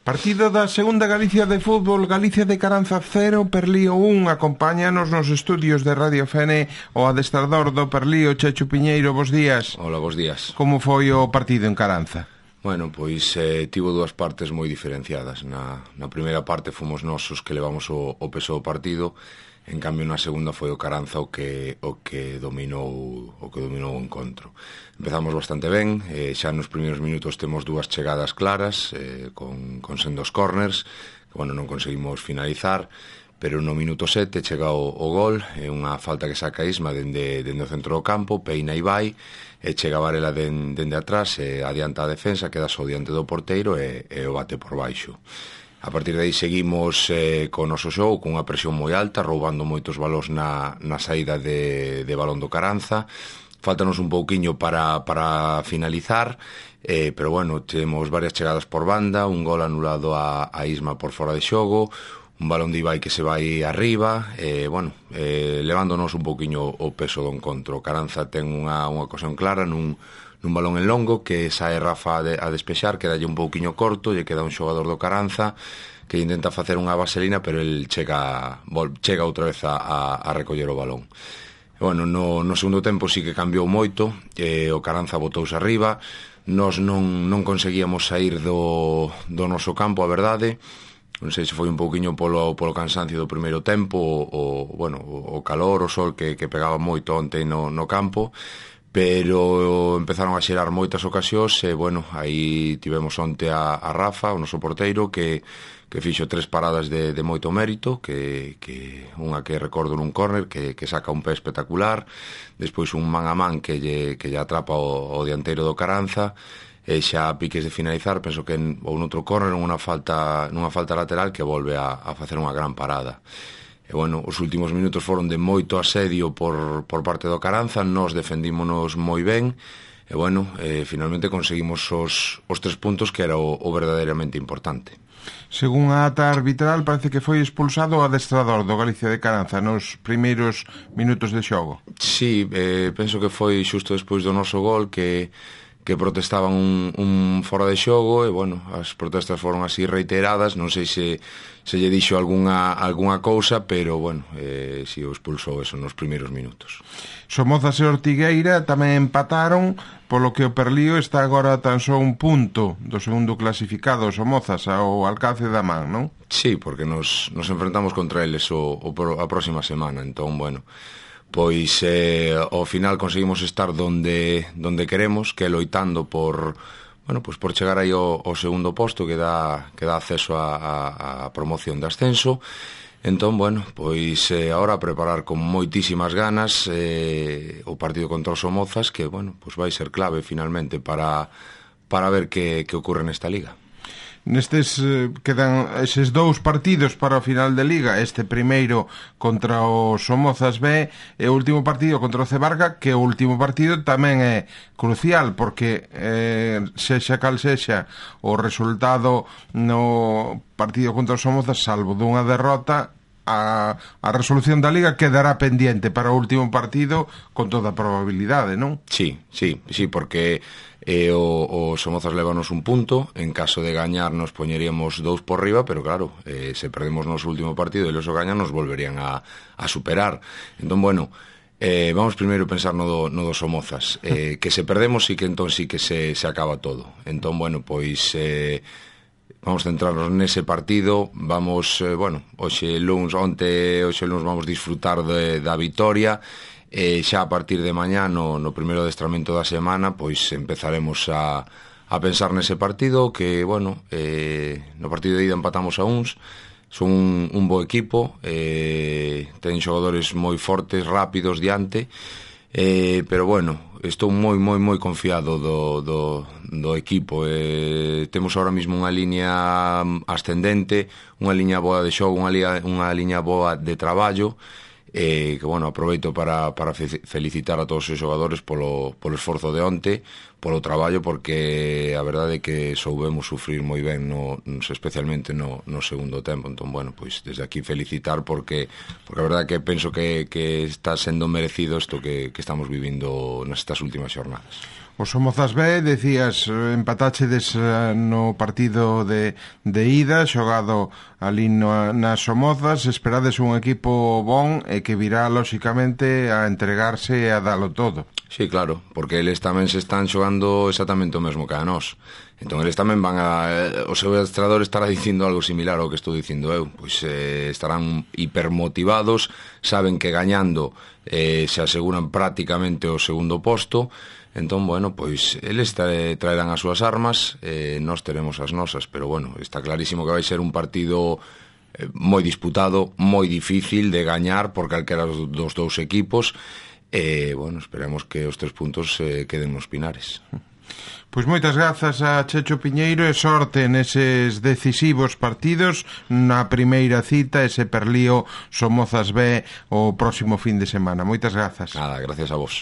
Partido da Segunda Galicia de Fútbol, Galicia de Caranza 0, Perlío 1. Acompáñanos nos estudios de Radio Fene o adestrador do Perlío, Chechu Piñeiro. Bos días. Hola, bos días. Como foi o partido en Caranza? Bueno, pois tivo dúas partes moi diferenciadas. Na primeira parte fomos nosos que levamos o peso do partido. En cambio, na segunda foi o Caranza o que dominou o encontro. Empezamos bastante ben, xa nos primeiros minutos temos dúas chegadas claras, con sendos corners, que, bueno, non conseguimos finalizar, pero no minuto 7 chega o gol, unha falta que saca Isma dende o centro do campo, peina e vai, e chega Varela dende atrás, adianta a defensa, queda só diante do porteiro e o bate por baixo. A partir de aí seguimos co noso xogo, con unha presión moi alta, roubando moitos balóns na saída de balón do Caranza. Faltanos un pouquiño para finalizar, pero bueno, temos varias chegadas por banda, un gol anulado a Isma por fora de xogo, un balón de Ibai que se vai arriba, levándonos un pouquiño o peso do encontro. Caranza ten unha ocasión clara nun balón en longo que sae Rafa a despexar, quedalle un pouquiño corto, lle queda un xogador do Caranza que intenta facer unha vaselina, pero el chega outra vez a recoller o balón. Bueno, no segundo tempo sí que cambiou moito, o Caranza botouse arriba, nós non conseguíamos sair do noso campo, a verdade. Non sei se foi un pouquiño polo cansancio do primeiro tempo, o calor, o sol que pegaba moito onte no campo, pero empezaron a xerar moitas ocasións e, bueno, aí tivemos onte a Rafa, o noso porteiro, que fixo 3 paradas de moito mérito, que unha que recordo nun córner, que saca un pé espectacular, despois un man a man que lle atrapa o dianteiro do Caranza, e xa a piques de finalizar, penso que ou noutro córner, nunha falta lateral que volve a facer unha gran parada. E, bueno, os últimos minutos foron de moito asedio por parte do Caranza, nós defendímonos moi ben, e, bueno, finalmente conseguimos os 3 puntos, que era o verdadeiramente importante. Según a ata arbitral, parece que foi expulsado o adestrador do Galicia de Caranza nos primeiros minutos de xogo. Sí, penso que foi xusto despois do noso gol que protestaban un fora de xogo e, bueno, as protestas foron así reiteradas, non sei se lle dixo algunha cousa, pero, bueno, si o expulsou eso nos primeiros minutos. Somozas e Ortigueira tamén empataron, polo que o Perlío está agora tan só un punto do segundo clasificado, Somozas, ao alcance da man, non? Sí, porque nos enfrentamos contra eles a próxima semana, entón, bueno, pois ao final conseguimos estar donde queremos, que é loitando por chegar aí ao segundo posto que dá acceso a promoción de ascenso. Entón, bueno, pois agora a preparar con moitísimas ganas o partido contra os Somozas, que, bueno, pois vai ser clave finalmente para ver que ocorre nesta liga. Nestes quedan eses 2 partidos para o final de liga, este primeiro contra o Somozas B e o último partido contra o Cebarga, que o último partido tamén é crucial, porque sexa cal sexa o resultado no partido contra o Somozas, salvo dunha derrota, a resolución da liga quedará pendiente para o último partido con toda probabilidade, non? Sí, porque o Somozas levanos un punto, en caso de gañar nos poñeríamos 2 por riba, pero claro, se perdemos no último partido e eles o gañan, nos volverían a superar. Entón, bueno, vamos primeiro a pensar no do Somozas, que se perdemos e que entón sí que se acaba todo. Entón, bueno, pois vamos centrarnos nese partido, vamos, hoxe luns vamos disfrutar da vitoria, e xa a partir de mañá no primeiro adestramento da semana pois empezaremos a pensar nese partido, que, bueno, no partido de ida empatamos a uns, son un bo equipo, ten xogadores moi fortes, rápidos diante, pero, bueno, estou moi confiado do equipo. Temos ahora mismo unha liña ascendente, unha liña boa de xogo, unha liña boa de traballo, que, bueno, aproveito para felicitar a todos os xogadores polo esforzo de onte, polo traballo, porque a verdade é que soubemos sufrir moi ben, especialmente no segundo tempo. Entón, bueno, pois desde aquí felicitar, porque a verdade é que penso que está sendo merecido isto que estamos vivindo nestas últimas xornadas. O Somozas B, decías, empatachedes no partido de ida, xogado ali nas Somozas, esperades un equipo bon e que virá, lóxicamente, a entregarse e a dalo todo. Sí, claro, porque eles tamén se están xogando exactamente o mesmo que a nós. Entón eles tamén van a... O seu adestrador estará dicindo algo similar ao que estou dicindo eu. Pois estarán hipermotivados, saben que gañando se aseguran prácticamente o segundo posto. Entón, bueno, pois eles traerán as súas armas, nós teremos as nosas, pero bueno, está clarísimo que vai ser un partido moi disputado, moi difícil de gañar por calquera dos dous equipos, e, bueno, esperemos que os 3 puntos queden nos Pinares. Pois moitas grazas a Checho Piñeiro e sorte neses decisivos partidos na primeira cita, ese Perlío Somozas B o próximo fin de semana. Moitas grazas. Nada, gracias a vos.